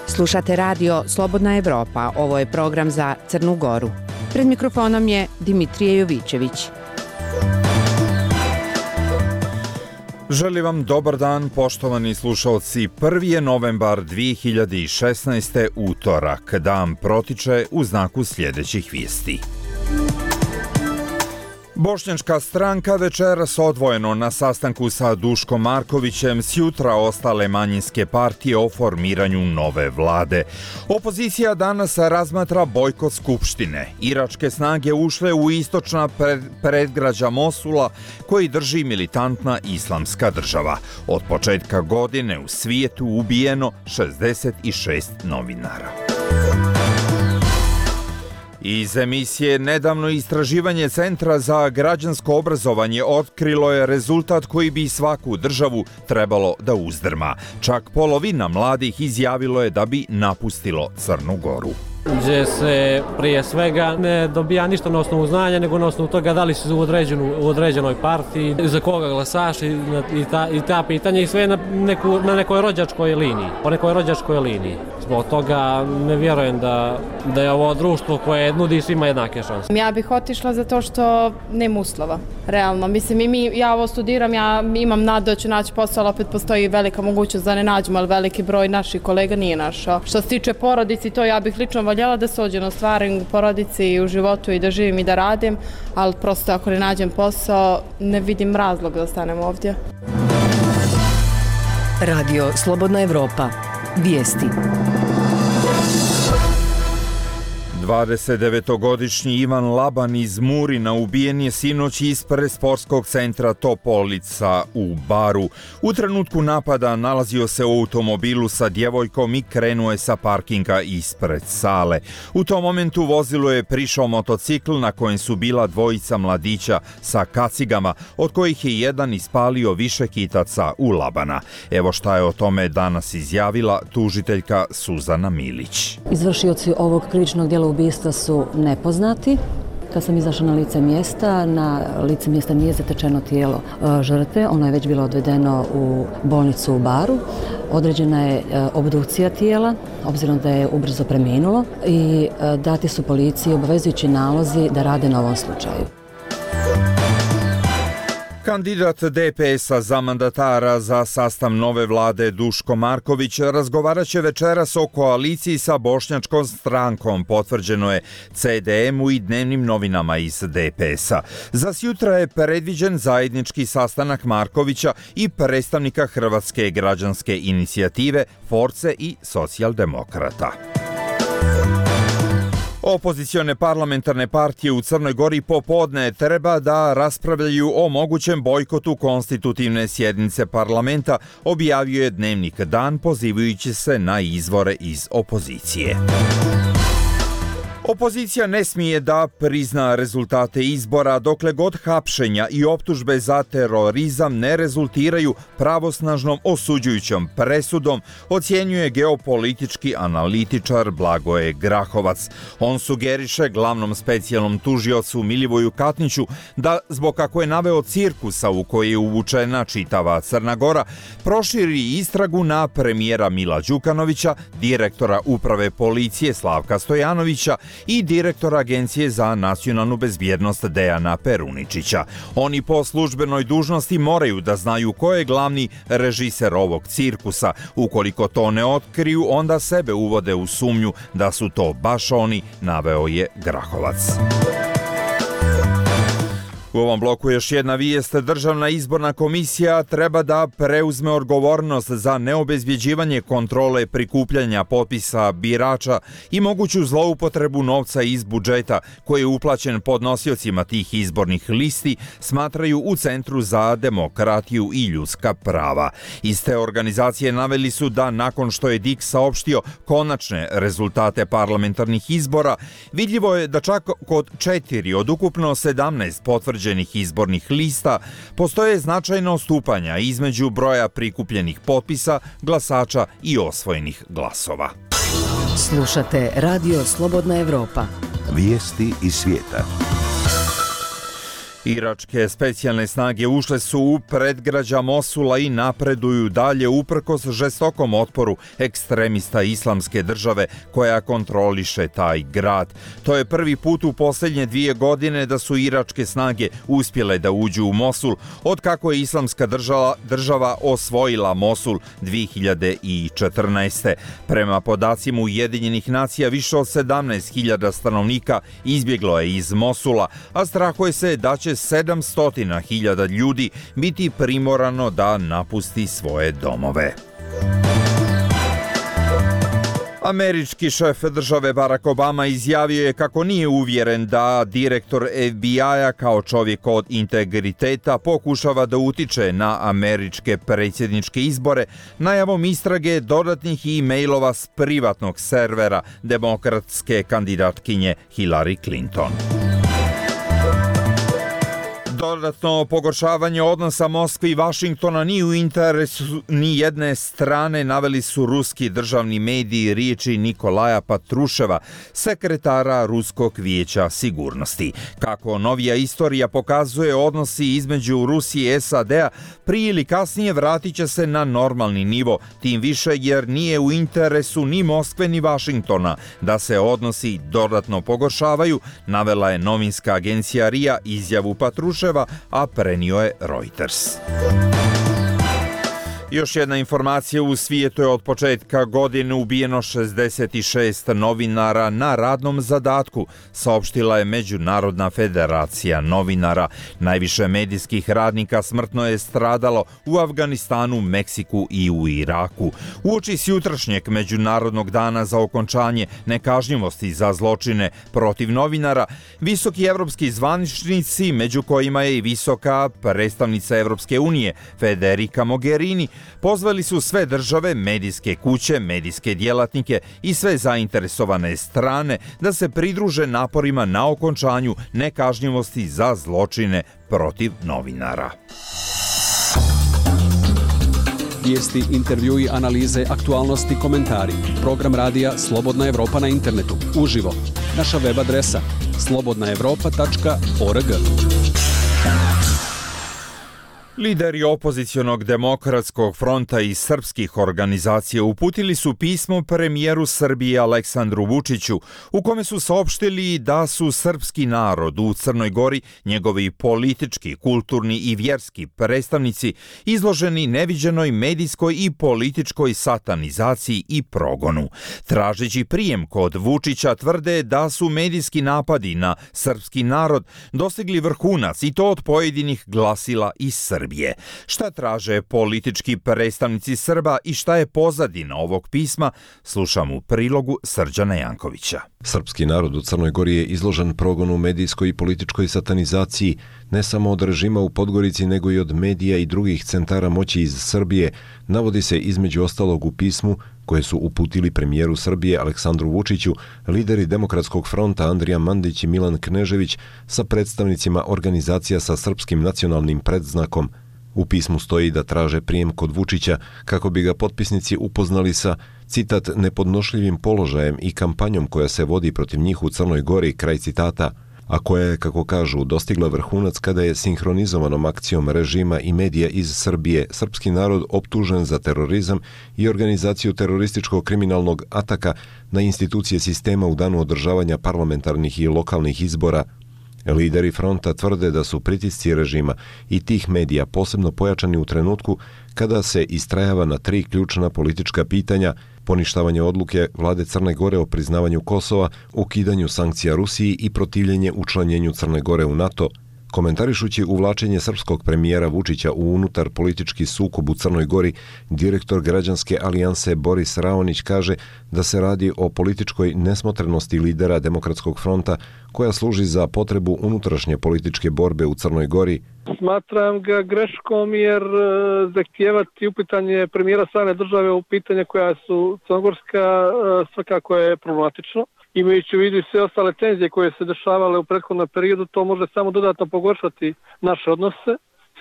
Slušate radio Slobodna Evropa, ovo je program za Crnu Goru. Pred mikrofonom je Dimitrije Jovićević. Želim vam dobar dan, poštovani slušalci. 1. je novembar 2016. utorak. Dan protiče u znaku sljedećih vijesti. Bošnjačka stranka večeras odvojeno na sastanku sa Duškom Markovićem, sjutra ostale manjinske partije o formiranju nove vlade. Opozicija danas razmatra bojkot skupštine. Iračke snage ušle u istočna predgrađa Mosula koji drži militantna islamska država. Od početka godine u svijetu ubijeno 66 novinara. Iz emisije Nedavno istraživanje Centra za građansko obrazovanje otkrilo je rezultat koji bi svaku državu trebalo da uzdrma. Čak polovina mladih izjavilo je da bi napustilo Crnu Goru. Gdje se prije svega ne dobija ništa na osnovu znanja, nego na osnovu toga da li si u određenoj partiji, za koga glasaš i ta pitanja i sve na nekoj rođačkoj liniji, po nekoj rođačkoj liniji. Zbog toga ne vjerujem da je ovo društvo koje nudi svima jednake šanse. Ja bih otišla zato što nema uslova, realno. Mislim, ja ovo studiram, ja imam nadu da ću naći posao, ali opet postoji velika mogućnost da ne nađemo, ali veliki broj naših kolega nije našao. Što se tiče porodici, to ja bih lično voljela da se ođeno stvarim u porodici i u životu i da živim i da radim, ali prosto ako ne nađem posao, ne vidim razlog da ostanem ovdje. Radio Slobodna Evropa. Vijesti. 29-godišnji Ivan Laban iz Murina ubijen je sinoć ispred sportskog centra Topolica u Baru. U trenutku napada nalazio se u automobilu sa djevojkom i krenuo je sa parkinga ispred sale. U tom momentu vozilu je prišao motocikl na kojem su bila dvojica mladića sa kacigama, od kojih je jedan ispalio više hitaca u Labana. Evo šta je o tome danas izjavila tužiteljka Suzana Milić. Izvršioci ovog krivičnog djela ubistva su nepoznati. Kad sam izašla na lice mjesta nije zatečeno tijelo žrtve, ono je već bilo odvedeno u bolnicu u Baru. Određena je obdukcija tijela, obzirom da je ubrzo preminulo, i dati su policiji obavezujući nalozi da rade na ovom slučaju. Kandidat DPS-a za mandatara za sastav nove vlade Duško Marković razgovarat će večeras o koaliciji sa bošnjačkom strankom, potvrđeno je CDM-u i dnevnim novinama iz DPS-a. Za sjutra je predviđen zajednički sastanak Markovića i predstavnika Hrvatske građanske inicijative, Force i Socijaldemokrata. Opozicione parlamentarne partije u Crnoj Gori popodne treba da raspravljaju o mogućem bojkotu konstitutivne sjednice parlamenta, objavio je dnevnik Dan pozivajući se na izvore iz opozicije. Opozicija ne smije da prizna rezultate izbora dokle god hapšenja i optužbe za terorizam ne rezultiraju pravosnažnom osuđujućom presudom, ocjenjuje geopolitički analitičar Blagoje Grahovac. On sugeriše glavnom specijalnom tužiocu Milivoju Katniću da, zbog kako je naveo cirkusa u koji je uvučena čitava Crna Gora, proširi istragu na premijera Mila Đukanovića, direktora uprave policije Slavka Stojanovića i direktora Agencije za nacionalnu bezbjednost Dejana Peruničića. Oni po službenoj dužnosti moraju da znaju ko je glavni režiser ovog cirkusa. Ukoliko to ne otkriju, onda sebe uvode u sumnju da su to baš oni, naveo je Grahovac. U ovom bloku još jedna vijest. Državna izborna komisija treba da preuzme odgovornost za neobezbjeđivanje kontrole prikupljanja potpisa birača i moguću zloupotrebu novca iz budžeta koji je uplaćen podnosiocima tih izbornih listi, smatraju u Centru za demokratiju i ljudska prava. Iz te organizacije naveli su da nakon što je DIK saopštio konačne rezultate parlamentarnih izbora, vidljivo je da čak kod 4 od ukupno 17 potvrđenih izbornih lista postoje značajna odstupanja između broja prikupljenih potpisa, glasača i osvojenih glasova. Slušate Radio Slobodna Evropa. Vijesti iz svijeta. Iračke specijalne snage ušle su u predgrađa Mosula i napreduju dalje uprkos žestokom otporu ekstremista Islamske države koja kontroliše taj grad. To je prvi put u posljednje 2 godine da su iračke snage uspjele da uđu u Mosul od kako je Islamska država osvojila Mosul 2014. Prema podacima Ujedinjenih nacija, više od 17.000 stanovnika izbjeglo je iz Mosula, a strahuje se da će 700.000 ljudi biti primorano da napusti svoje domove. Američki šef države Barack Obama izjavio je kako nije uvjeren da direktor FBI-a kao čovjek od integriteta pokušava da utiče na američke predsjedničke izbore najavom istrage dodatnih e-mailova s privatnog servera demokratske kandidatkinje Hillary Clinton. Dodatno pogoršavanje odnosa Moskve i Vašingtona nije u interesu ni jedne strane, naveli su ruski državni mediji riječi Nikolaja Patruševa, sekretara Ruskog vijeća sigurnosti. Kako novija istorija pokazuje, odnosi između Rusije i SAD-a prije ili kasnije vratit će se na normalni nivo, tim više jer nije u interesu ni Moskve ni Vašingtona da se odnosi dodatno pogoršavaju, navela je novinska agencija RIA izjavu Patruševa, a prenio je Reuters. Još jedna informacija, u svijetu je od početka godine ubijeno 66 novinara na radnom zadatku, saopštila je Međunarodna federacija novinara. Najviše medijskih radnika smrtno je stradalo u Afganistanu, Meksiku i u Iraku. Uoči jutrašnjeg Međunarodnog dana za okončanje nekažnjivosti za zločine protiv novinara, visoki evropski zvaničnici, među kojima je i visoka predstavnica Evropske unije Federica Mogherini, pozvali su sve države, medijske kuće, medijske djelatnike i sve zainteresovane strane da se pridruže naporima na okončanju nekažnjivosti za zločine protiv novinara. Vijesti, intervjui, analize, aktualnosti, komentari. Program radija Slobodna Evropa na internetu. Uživo. Naša web adresa slobodnaevropa.org. Lideri opozicionog demokratskog fronta i srpskih organizacija uputili su pismo premijeru Srbije Aleksandru Vučiću, u kome su saopštili da su srpski narod u Crnoj Gori, njegovi politički, kulturni i vjerski predstavnici izloženi neviđenoj medijskoj i političkoj satanizaciji i progonu. Tražeći prijem kod Vučića, tvrde da su medijski napadi na srpski narod dostigli vrhunac, i to od pojedinih glasila iz Srbije. Šta traže politički predstavnici Srba i šta je pozadina ovog pisma, slušam u prilogu Srđana Jankovića. Srpski narod u Crnoj Gori je izložen progonu, medijskoj i političkoj satanizaciji, ne samo od režima u Podgorici, nego i od medija i drugih centara moći iz Srbije, navodi se između ostalog u pismu koje su uputili premijeru Srbije Aleksandru Vučiću, lideri Demokratskog fronta Andrija Mandić i Milan Knežević sa predstavnicima organizacija sa srpskim nacionalnim predznakom. U pismu stoji da traže prijem kod Vučića kako bi ga potpisnici upoznali sa, citat, nepodnošljivim položajem i kampanjom koja se vodi protiv njih u Crnoj Gori, kraj citata, a koja je, kako kažu, dostigla vrhunac kada je sinhronizovanom akcijom režima i medija iz Srbije srpski narod optužen za terorizam i organizaciju terorističkog kriminalnog ataka na institucije sistema u danu održavanja parlamentarnih i lokalnih izbora. Lideri fronta tvrde da su pritisci režima i tih medija posebno pojačani u trenutku kada se istrajava na 3 ključna politička pitanja: poništavanje odluke vlade Crne Gore o priznavanju Kosova, ukidanju sankcija Rusiji i protivljenje učlanjenju Crne Gore u NATO. Komentarišući uvlačenje srpskog premijera Vučića u unutar politički sukob u Crnoj Gori, direktor građanske alijanse Boris Raonić kaže da se radi o političkoj nesmotrenosti lidera Demokratskog fronta koja služi za potrebu unutrašnje političke borbe u Crnoj Gori. Smatram ga greškom jer zahtijevati upitanje premijera strane države u pitanje koja su crnogorska svakako je problematično. Imajući u vidu i sve ostale tenzije koje se dešavale u prethodnom periodu, to može samo dodatno pogoršati naše odnose.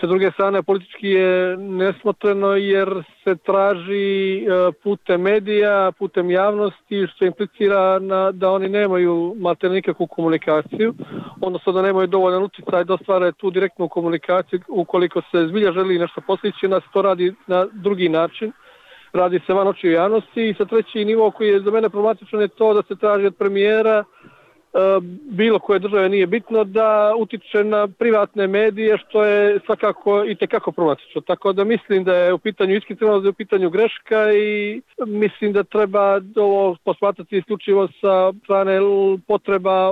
Sa druge strane, politički je nesmotreno jer se traži putem medija, putem javnosti, što implicira da oni nemaju maltene nikakvu komunikaciju, odnosno da nemaju dovoljan utjecaj da ostvare tu direktnu komunikaciju. Ukoliko se zbilja želi nešto postići, onda se to radi na drugi način. Radi se van očiju javnosti. I sa treći nivo koji je za mene problematičan je to da se traži od premijera bilo koje države, nije bitno, da utiče na privatne medije, što je svakako i tekako problematično. Tako da mislim da je u pitanju iskreno, da je u pitanju greška i mislim da treba ovo posmatrati isključivo sa strane potreba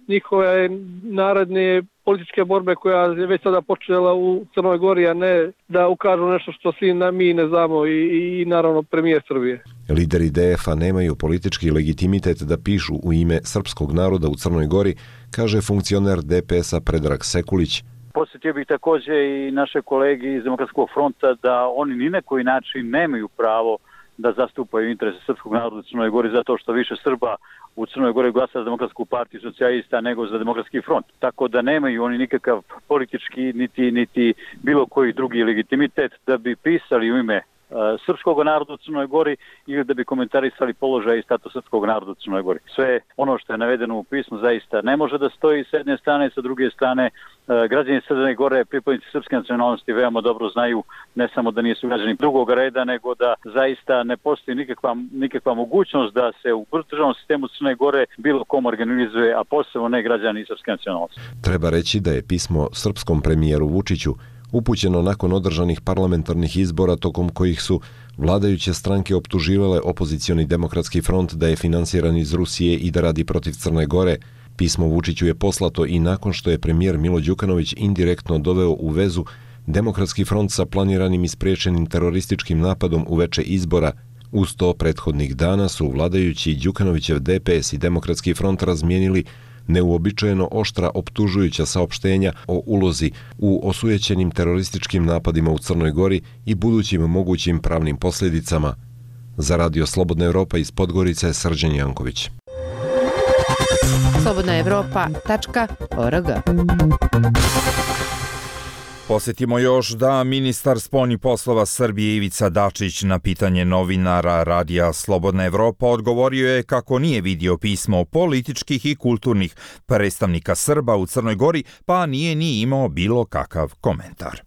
njihove naredne političke borbe koja je već sada počela u Crnoj Gori, a ne da ukažu nešto što svi mi ne znamo i naravno premijer Srbije. Lideri DF-a nemaju politički legitimitet da pišu u ime srpskog naroda u Crnoj Gori, kaže funkcioner DPS-a Predrag Sekulić. Posjetio bih također i naše kolege iz Demokratskog fronta da oni ni na koji način nemaju pravo da zastupaju interese srpskog naroda u Crnoj Gori zato što više Srba u Crnoj Gori glasa za Demokratsku partiju socijalista nego za Demokratski front. Tako da nemaju oni nikakav politički niti bilo koji drugi legitimitet da bi pisali u ime srpskog naroda u Crnoj Gori ili da bi komentarisali položaj i status srpskog naroda u Crnoj Gori. Sve ono što je navedeno u pismu zaista ne može da stoji s jedne strane, sa druge strane građani Crne Gore, pripadnici srpske nacionalnosti veoma dobro znaju ne samo da nisu građani drugog reda, nego da zaista ne postoji nikakva mogućnost da se u državnom sistemu Crne Gore bilo kom organizuje, a posebno ne građani srpske nacionalnosti. Treba reći da je pismo srpskom premijeru Vučiću upućeno nakon održanih parlamentarnih izbora tokom kojih su vladajuće stranke optuživale opozicioni Demokratski front da je finansiran iz Rusije i da radi protiv Crne Gore. Pismo Vučiću je poslato i nakon što je premijer Milo Đukanović indirektno doveo u vezu Demokratski front sa planiranim i spriječenim terorističkim napadom uveče izbora. Uz to prethodnih dana su vladajući Đukanovićev DPS i Demokratski front razmijenili neuobičajeno oštra optužujuća saopštenja o ulozi u osujećenim terorističkim napadima u Crnoj Gori i budućim mogućim pravnim posljedicama. Za Radio Slobodna Evropa iz Podgorice, Srđan Janković. slobodnaevropa.org. Posjetimo još da ministar spoljnih poslova Srbije Ivica Dačić na pitanje novinara Radija Slobodna Evropa odgovorio je kako nije vidio pismo političkih i kulturnih predstavnika Srba u Crnoj Gori, pa nije ni imao bilo kakav komentar.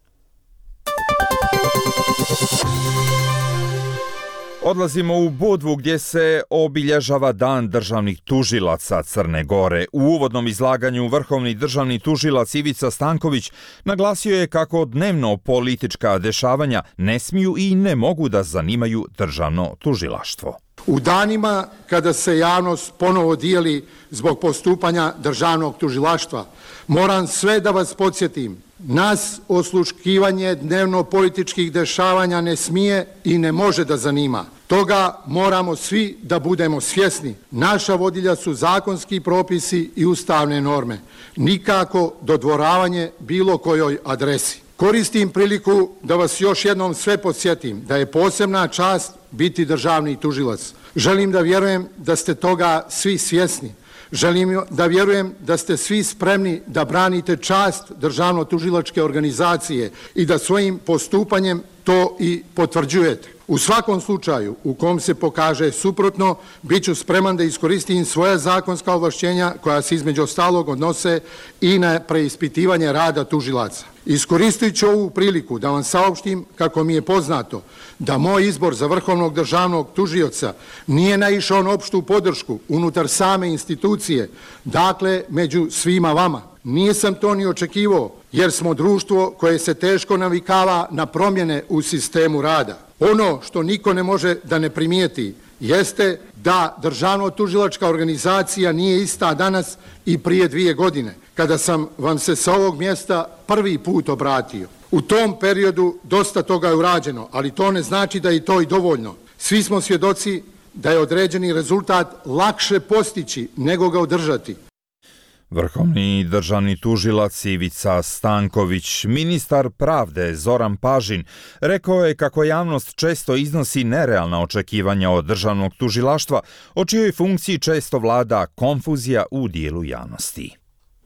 Odlazimo u Budvu gdje se obilježava Dan državnih tužilaca Crne Gore. U uvodnom izlaganju vrhovni državni tužilac Ivica Stanković naglasio je kako dnevno politička dešavanja ne smiju i ne mogu da zanimaju državno tužilaštvo. U danima kada se javnost ponovo dijeli zbog postupanja državnog tužilaštva, moram sve da vas podsjetim, nas osluškivanje dnevno političkih dešavanja ne smije i ne može da zanima. Toga moramo svi da budemo svjesni. Naša vodilja su zakonski propisi i ustavne norme. Nikako dodvoravanje bilo kojoj adresi. Koristim priliku da vas još jednom sve podsjetim da je posebna čast biti državni tužilac. Želim da vjerujem da ste toga svi svjesni. Želim da vjerujem da ste svi spremni da branite čast državno-tužilačke organizacije i da svojim postupanjem to i potvrđujete. U svakom slučaju u kom se pokaže suprotno, bit ću spreman da iskoristim svoja zakonska ovlašćenja koja se između ostalog odnose i na preispitivanje rada tužilaca. Iskoristit ću ovu priliku da vam saopštim kako mi je poznato da moj izbor za vrhovnog državnog tužioca nije naišao na opštu podršku unutar same institucije, dakle među svima vama. Nisam to ni očekivao jer smo društvo koje se teško navikava na promjene u sistemu rada. Ono što niko ne može da ne primijeti jeste da državno-tužilačka organizacija nije ista danas i prije 2 godine, kada sam vam se sa ovog mjesta prvi put obratio. U tom periodu dosta toga je urađeno, ali to ne znači da je to i dovoljno. Svi smo svjedoci da je određeni rezultat lakše postići nego ga održati. Vrhovni državni tužilac Ivica Stanković, ministar pravde Zoran Pažin, rekao je kako javnost često iznosi nerealna očekivanja od državnog tužilaštva, o čijoj funkciji često vlada konfuzija u dijelu javnosti.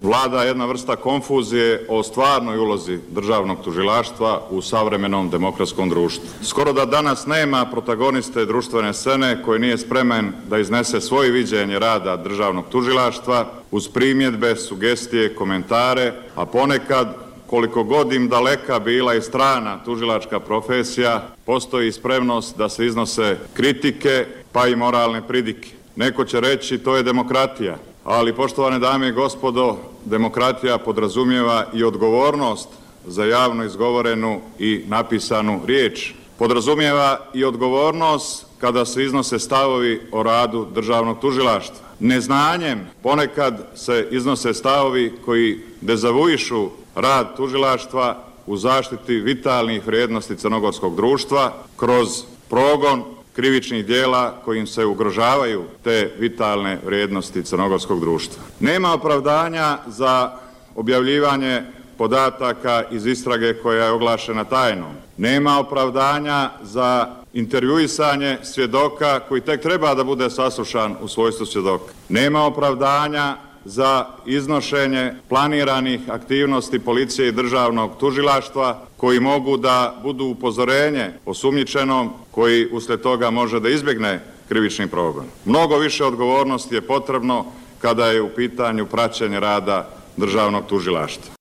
Vlada jedna vrsta konfuzije o stvarnoj ulozi državnog tužilaštva u savremenom demokratskom društvu. Skoro da danas nema protagoniste društvene scene koji nije spreman da iznese svoje viđenje rada državnog tužilaštva uz primjedbe, sugestije, komentare, a ponekad koliko god im daleka bila i strana tužilačka profesija, postoji spremnost da se iznose kritike pa i moralne pridike. Neko će reći to je demokratija, ali poštovane dame i gospodo, demokratija podrazumijeva i odgovornost za javno izgovorenu i napisanu riječ. Podrazumijeva i odgovornost kada se iznose stavovi o radu državnog tužilaštva. Neznanjem ponekad se iznose stavovi koji dezavuišu rad tužilaštva u zaštiti vitalnih vrijednosti crnogorskog društva kroz progon krivičnih dijela kojim se ugrožavaju te vitalne vrijednosti crnogorskog društva. Nema opravdanja za objavljivanje podataka iz istrage koja je oglašena tajnom. Nema opravdanja za intervjuisanje svjedoka koji tek treba da bude saslušan u svojstvu svjedoka. Nema opravdanja za iznošenje planiranih aktivnosti policije i državnog tužilaštva koji mogu da budu upozorenje osumnjičenom koji uslijed toga može da izbjegne krivični progon. Mnogo više odgovornosti je potrebno kada je u pitanju praćenje rada državnog tužilaštva.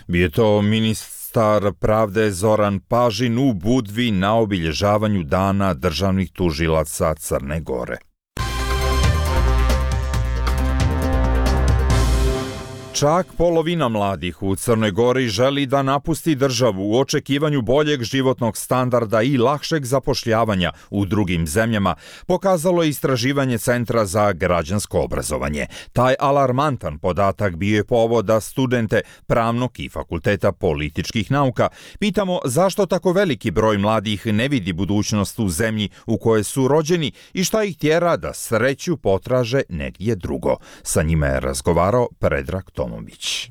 Bio je to ministar pravde Zoran Pažin u Budvi na obilježavanju Dana državnih tužilaca Crne Gore. Čak polovina mladih u Crnoj Gori želi da napusti državu u očekivanju boljeg životnog standarda i lakšeg zapošljavanja u drugim zemljama, pokazalo je istraživanje Centra za građansko obrazovanje. Taj alarmantan podatak bio je povod da studente Pravnog i Fakulteta političkih nauka pitamo zašto tako veliki broj mladih ne vidi budućnost u zemlji u kojoj su rođeni i šta ih tjera da sreću potraže negdje drugo. Sa njima je razgovarao Predrag Tomović.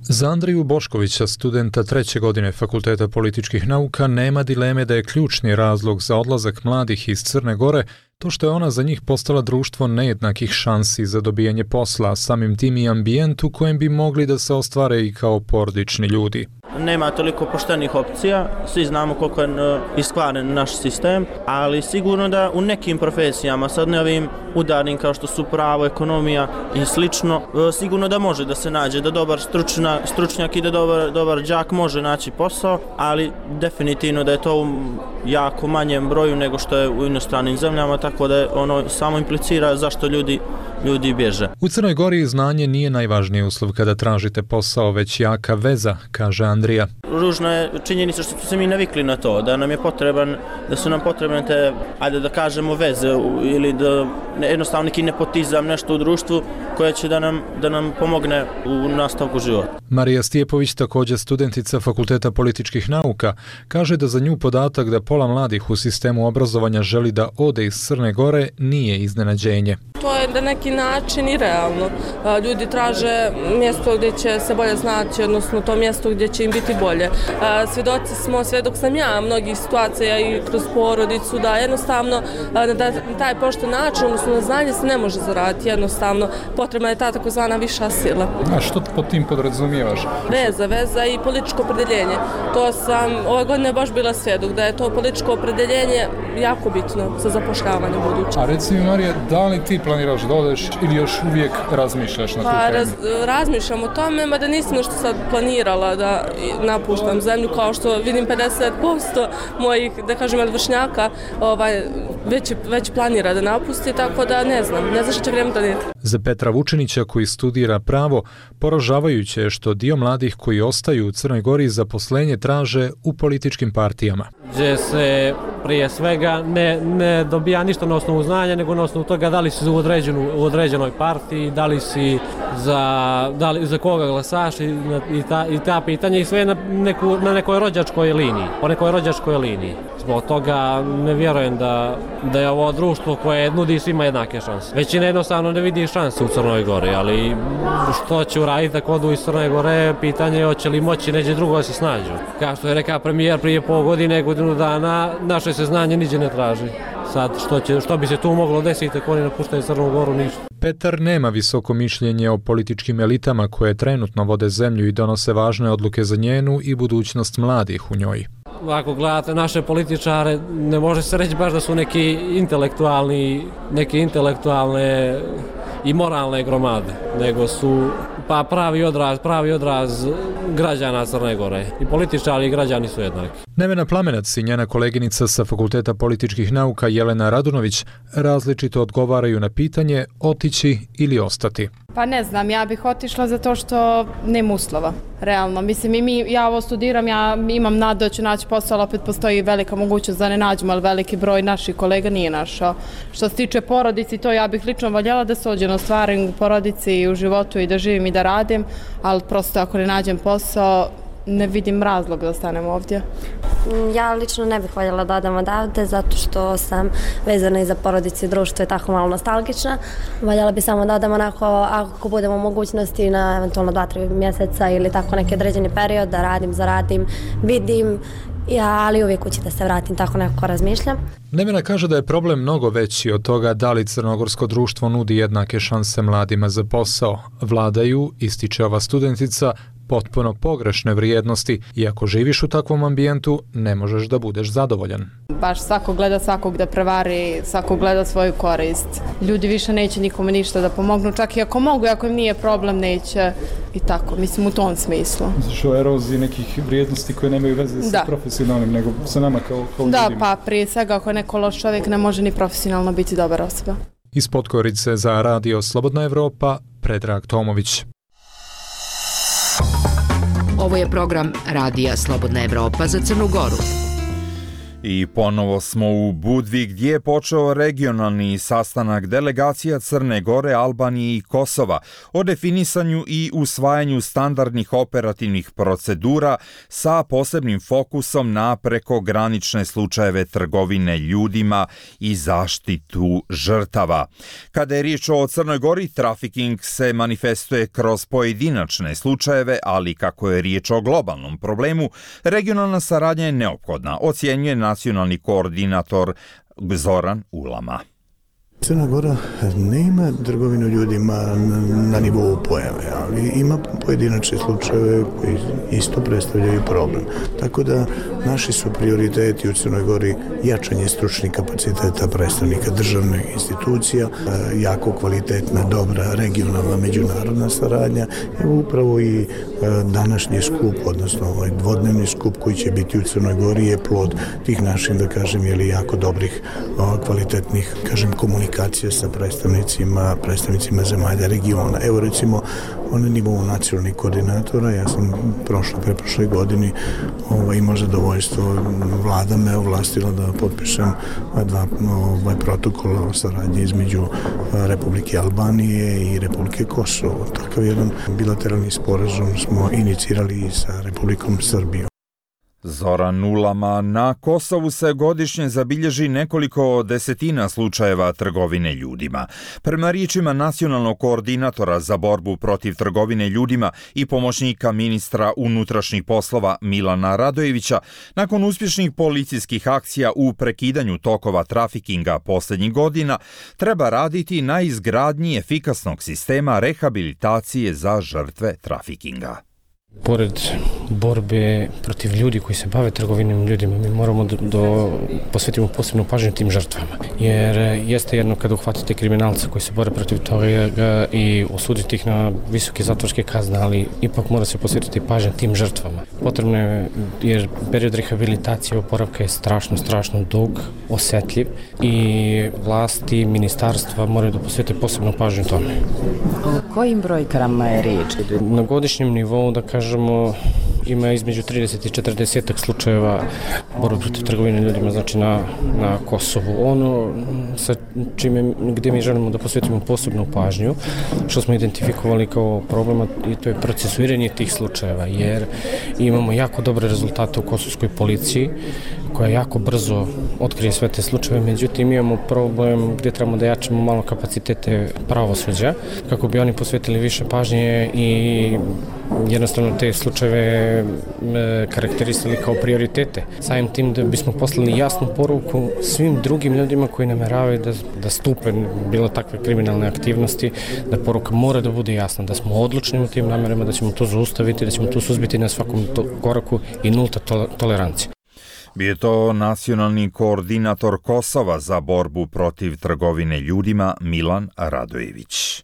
Za Andriju Boškovića, studenta 3. godine Fakulteta političkih nauka, nema dileme da je ključni razlog za odlazak mladih iz Crne Gore to što je ona za njih postala društvo nejednakih šansi za dobijanje posla, samim tim i ambijent u kojem bi mogli da se ostvare i kao porodični ljudi. Nema toliko poštenih opcija, svi znamo koliko je iskvaren naš sistem, ali sigurno da u nekim profesijama, sad ne ovim udarnim kao što su pravo, ekonomija i slično, sigurno da može da se nađe, da dobar stručnjak i da dobar đak može naći posao, ali definitivno da je to u jako manjem broju nego što je u inostranim zemljama, tako da ono samo implicira zašto ljudi bježe. U Crnoj Gori znanje nije najvažniji uslov kada tražite posao, već jaka veza, kaže Andrija. Ružno je činjenica što smo se mi navikli na to, da su nam potrebne te, ajde da kažemo, veze ili da jednostavno neki nepotizam, nešto u društvu koje će da nam pomogne u nastavku života. Marija Stijepović, također studentica Fakulteta političkih nauka, kaže da za nju podatak da pola mladih u sistemu obrazovanja želi da ode iz Crne Gore nije iznenađenje. To je na neki način i realno. Ljudi traže mjesto gdje će se bolje snaći, odnosno to mjesto gdje će im biti bolje. Svjedok sam ja mnogih situacija i kroz porodicu da jednostavno na taj pošten način, odnosno na znanje se ne može zaraditi, jednostavno potrebna je ta takozvana viša sila. A što pod tim podrazumijevaš? Veza i političko opredjeljenje. To sam ove godine baš bila svjedok da je to političko opredjeljenje jako bitno za zapošljavanje buduće. A reci mi, Marija, da li ti planiraš da odeš ili još uvijek razmišljaš na tu temu? Razmišljam o tome, mada nisam nešto sad planirala da napuštam zemlju, kao što vidim 50% mojih, da kažem, vršnjaka već planira da napusti, tako da ne znam što će vrijeme donijeti. Za Petra Vučinića, koji studira pravo, poražavajuće je što dio mladih koji ostaju u Crnoj Gori zaposlenje traže u političkim partijama. Gdje se prije svega ne dobija ništa na osnovu znanja, nego na osnovu toga da li si u određenoj partiji, da li si za koga glasaš i ta pitanja, i sve na nekoj rođačkoj liniji, po nekoj rođačkoj liniji. Zbog toga ne vjerujem da je ovo društvo koje nudi svima jednake šanse. Većina jednostavno ne vidi šanse u Crnoj Gori, ali što će uraditi ako odu iz Crne Gore, pitanje je hoće li moći neđe drugo da se snađu. Kao što je rekao premijer prije pol godine, godinu dana, naše se znanje niđe ne traži. Sad, što bi se tu moglo desiti ako oni napuštaju Crnu Goru, ništa. Petar nema visoko mišljenje o političkim elitama koje trenutno vode zemlju i donose važne odluke za njenu i budućnost mladih u njoj. Ako gledate naše političare, ne može se reći baš da su neke intelektualne i moralne gromade, nego su pravi odraz građana Crne Gore. I političari i građani su jednaki. Nevena Plamenac i njena koleginica sa Fakulteta političkih nauka Jelena Radunović različito odgovaraju na pitanje otići ili ostati. Pa ne znam, ja bih otišla zato što nema uslova, realno. Mislim, ja ovo studiram, ja imam nadu da ću naći posao, ali opet postoji velika mogućnost da ne nađemo, ali veliki broj naših kolega nije našao. Što se tiče porodici, to ja bih lično voljela da se ođe na stvarim u porodici i u životu i da živim i da radim, ali prosto ako ne nađem posao, ne vidim razlog da ostanem ovdje. Ja lično ne bih voljela da odam odavde zato što sam vezana i za porodicu i društvo i tako malo nostalgična. Voljela bi samo da odam onako ako budemo u mogućnosti na eventualno 2-3 mjeseca ili tako neki određeni period da radim, zaradim, vidim, ali uvijek kući da se vratim, tako nekako razmišljam. Nevena kaže da je problem mnogo veći od toga da li crnogorsko društvo nudi jednake šanse mladima za posao. Vladaju, ističe ova studentica, potpuno pogrešne vrijednosti i ako živiš u takvom ambijentu ne možeš da budeš zadovoljan. Baš svako gleda svakog da prevari, svako gleda svoju korist. Ljudi više neće nikome ništa da pomognu, čak i ako mogu, ako im nije problem, neće i tako, mislim u tom smislu. Znači o eroziji nekih vrijednosti koje nemaju veze sa profesionalnim, nego sa nama kao ljudima. Da, pa prije svega ako je neko loš čovjek ne može ni profesionalno biti dobar osoba. Iz Podgorice za Radio Slobodna Evropa, Predrag Tomović. Ovo je program Radija Slobodna Evropa za Crnu Goru. I ponovo smo u Budvi gdje je počeo regionalni sastanak delegacija Crne Gore, Albanije i Kosova o definisanju i usvajanju standardnih operativnih procedura sa posebnim fokusom na prekogranične slučajeve trgovine ljudima i zaštitu žrtava. Kada je riječ o Crnoj Gori, trafiking se manifestuje kroz pojedinačne slučajeve, ali kako je riječ o globalnom problemu, regionalna saradnja je neophodna, ocjenjuje nacionalni koordinator Zoran Ulama. Crna Gora nema trgovinu ljudima na nivou pojave, ali ima pojedinačne slučajeve koji isto predstavljaju problem. Tako da naši su prioriteti u Crnoj Gori jačanje stručnih kapaciteta predstavnika državnih institucija, jako kvalitetna, dobra regionalna međunarodna saradnja i upravo i današnji skup, odnosno ovaj dvodnevni skup koji će biti u Crnoj Gori je plod tih naših, da kažem, jako dobrih, kvalitetnih, kažem, komunikacija sa predstavnicima zemalja regiona. Evo recimo na nivou nacionalnih koordinatora, ja sam preprošle godini imao zadovoljstvo, vlada me ovlastila da potpišem dva protokola o saradnji između Republike Albanije i Republike Kosovo. Takav jedan bilateralni sporazum smo inicirali i sa Republikom Srbijom. Zoran Ulama, na Kosovu se godišnje zabilježi nekoliko desetina slučajeva trgovine ljudima. Prema riječima nacionalnog koordinatora za borbu protiv trgovine ljudima i pomoćnika ministra unutrašnjih poslova Milana Radojevića, nakon uspješnih policijskih akcija u prekidanju tokova trafikinga posljednjih godina, treba raditi na izgradnji efikasnog sistema rehabilitacije za žrtve trafikinga. Pored borbe protiv ljudi koji se bave trgovinom ljudima, mi moramo da posvetimo posebnu pažnju tim žrtvama. Jer jeste jedno kada uhvatite kriminalca koji se bore protiv toga i osudite ih na visoke zatvorske kazne, ali ipak mora se posvetiti pažnju tim žrtvama. Potrebno je, jer period rehabilitacije i oporavka je strašno dug, osjetljiv i vlasti, ministarstva moraju da posvete posebnu pažnju tome. O kojim brojkama je riječ? Na godišnjem nivou, da kažemo, ima između 30 i 40 slučajeva borbe protiv trgovine ljudima, znači na Kosovu. Ono sa čime, gdje mi želimo da posvetimo posebnu pažnju, što smo identifikovali kao problema, i to je procesuiranje tih slučajeva, jer imamo jako dobre rezultate u kosovskoj policiji, koja jako brzo otkrije sve te slučajeve, međutim imamo problem gdje trebamo da jačamo malo kapacitete pravosuđa kako bi oni posvetili više pažnje i jednostavno te slučajeve karakterisali kao prioritete. Samim tim da bismo poslali jasnu poruku svim drugim ljudima koji nameravaju da stupe bilo takve kriminalne aktivnosti, da poruka mora da bude jasna, da smo odlučni u tim namerama, da ćemo to zaustaviti, da ćemo to suzbiti na svakom koraku i nulta tolerancija. Bio je to nacionalni koordinator Kosova za borbu protiv trgovine ljudima Milan Radojević.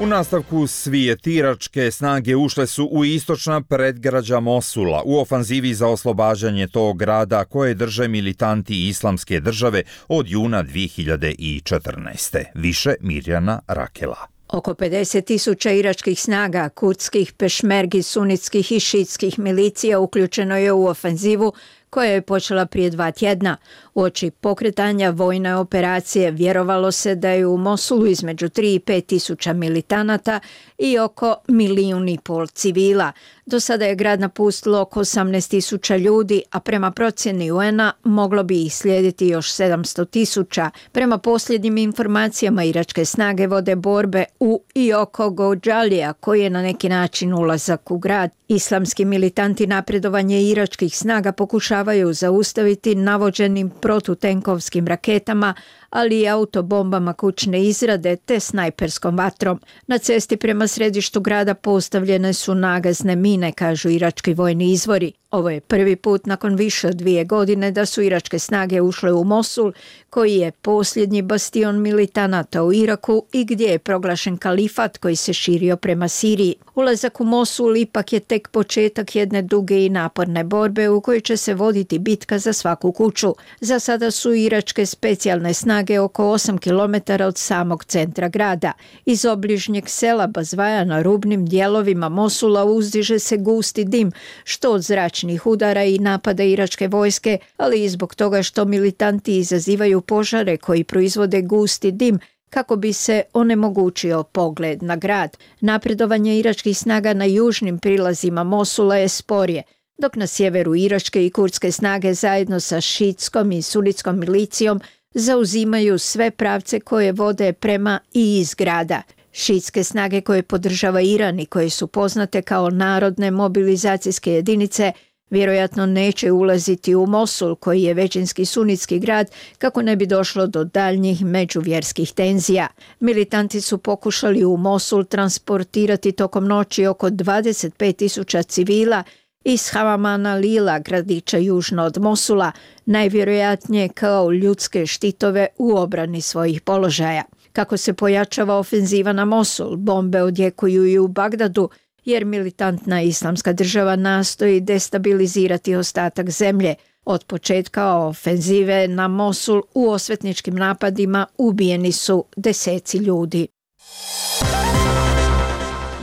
U nastavku svijet iračke snage ušle su u istočna predgrađa Mosula u ofanzivi za oslobađanje tog grada koje drže militanti Islamske države od juna 2014. Više Mirjana Rakela. Oko 50.000 iračkih snaga, kurdskih, pešmergi, sunitskih i šiitskih milicija uključeno je u ofenzivu koja je počela prije 2 tjedna. Uoči pokretanja vojne operacije vjerovalo se da je u Mosulu između 3 i 5 tisuća militanata i oko 1,5 milijuna civila. Do sada je grad napustilo oko 18.000 ljudi, a prema procjeni UN-a moglo bi ih slijediti još 700.000. Prema posljednjim informacijama iračke snage vode borbe u i oko Gođalija, koji je na neki način ulazak u grad. Islamski militanti napredovanje iračkih snaga pokušavaju zaustaviti navođenim protutenkovskim raketama, ali i autobombama kućne izrade te snajperskom vatrom. Na cesti prema središtu grada postavljene su nagazne mine, kažu irački vojni izvori. Ovo je prvi put nakon više od 2 godine da su iračke snage ušle u Mosul, koji je posljednji bastion militanata u Iraku i gdje je proglašen kalifat koji se širio prema Siriji. Ulazak u Mosul ipak je tek početak jedne duge i naporne borbe u kojoj će se voditi bitka za svaku kuću. Za sada su iračke specijalne snage oko 8 km od samog centra grada. Iz obližnjeg sela Bazvaja na rubnim dijelovima Mosula uzdiže se gusti dim, što od zračnih udara i napada iračke vojske, ali i zbog toga što militanti izazivaju požare koji proizvode gusti dim kako bi se onemogućio pogled na grad. Napredovanje iračkih snaga na južnim prilazima Mosula je sporije, dok na sjeveru iračke i kurdske snage zajedno sa šiitskom i sunitskom milicijom zauzimaju sve pravce koje vode prema i iz grada. Šiitske snage koje podržava Iran i koje su poznate kao narodne mobilizacijske jedinice vjerojatno neće ulaziti u Mosul, koji je većinski sunitski grad, kako ne bi došlo do daljnjih međuvjerskih tenzija. Militanti su pokušali u Mosul transportirati tokom noći oko 25.000 civila iz Havamana Lila, gradića južno od Mosula, najvjerojatnije kao ljudske štitove u obrani svojih položaja. Kako se pojačava ofenziva na Mosul, bombe odjekuju i u Bagdadu, jer militantna Islamska država nastoji destabilizirati ostatak zemlje. Od početka ofenzive na Mosul u osvetničkim napadima ubijeni su deseci ljudi.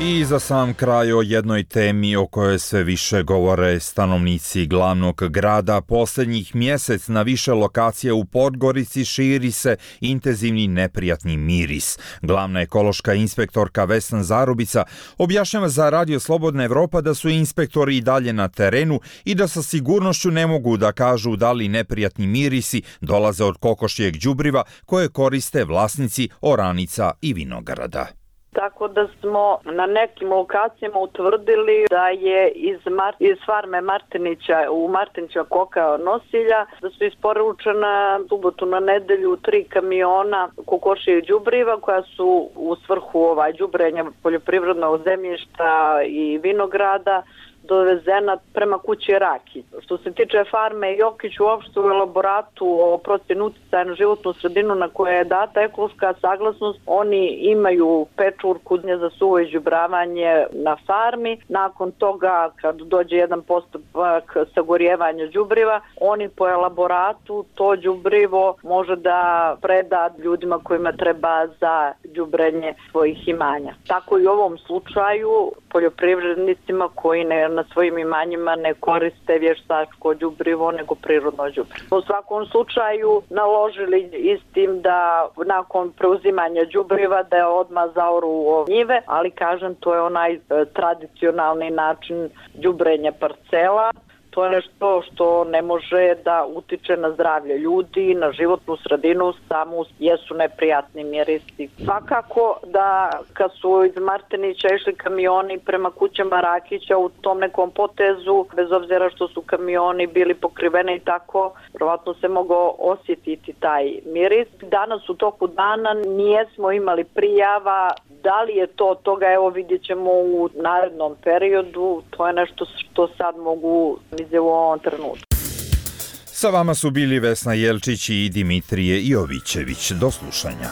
I za sam kraj o jednoj temi o kojoj sve više govore stanovnici glavnog grada. Posljednjih mjesec na više lokacija u Podgorici širi se intenzivni neprijatni miris. Glavna ekološka inspektorka Vesna Zarubica objašnjava za Radio Slobodna Evropa da su inspektori i dalje na terenu i da sa sigurnošću ne mogu da kažu da li neprijatni mirisi dolaze od kokošjeg đubriva koje koriste vlasnici oranica i vinograda. Tako da smo na nekim lokacijama utvrdili da je iz farme Martinića u Martinića koka nosilja, da su isporučena subotu na nedelju 3 kamiona kokošijeg đubriva koja su u svrhu đubrenja poljoprivrednog zemljišta i vinograda dovezena prema kući Raki. Što se tiče farme Jokić, uopšte u elaboratu o procjeni uticaja na životnu sredinu na koje je data ekološka saglasnost, oni imaju pečurku za suvo izđubravanje na farmi. Nakon toga, kad dođe jedan postupak sagorijevanja đubriva, oni po elaboratu to đubrivo može da preda ljudima kojima treba za đubrenje svojih imanja. Tako i u ovom slučaju poljoprivrednicima koji na svojim imanjima ne koriste vještačko đubrivo nego prirodno đubrivo. U svakom slučaju naložili istim da nakon preuzimanja đubriva da je odmah zaoru njive, ali kažem to je onaj tradicionalni način đubrenja parcela. To je nešto što ne može da utiče na zdravlje ljudi, na životnu sredinu, samo jesu neprijatni mirisi. Svakako da kad su iz Martinića išli kamioni prema kućama Rakića u tom nekom potezu, bez obzira što su kamioni bili pokriveni i tako, vjerovatno se mogao osjetiti taj miris. Danas u toku dana nijesmo imali prijava. Da li je to od toga, evo vidjet ćemo u narednom periodu, to je nešto što sad mogu vidjeti u ovom trenutku. Sa vama su bili Vesna Jelčić i Dimitrije Jovićević. Do slušanja.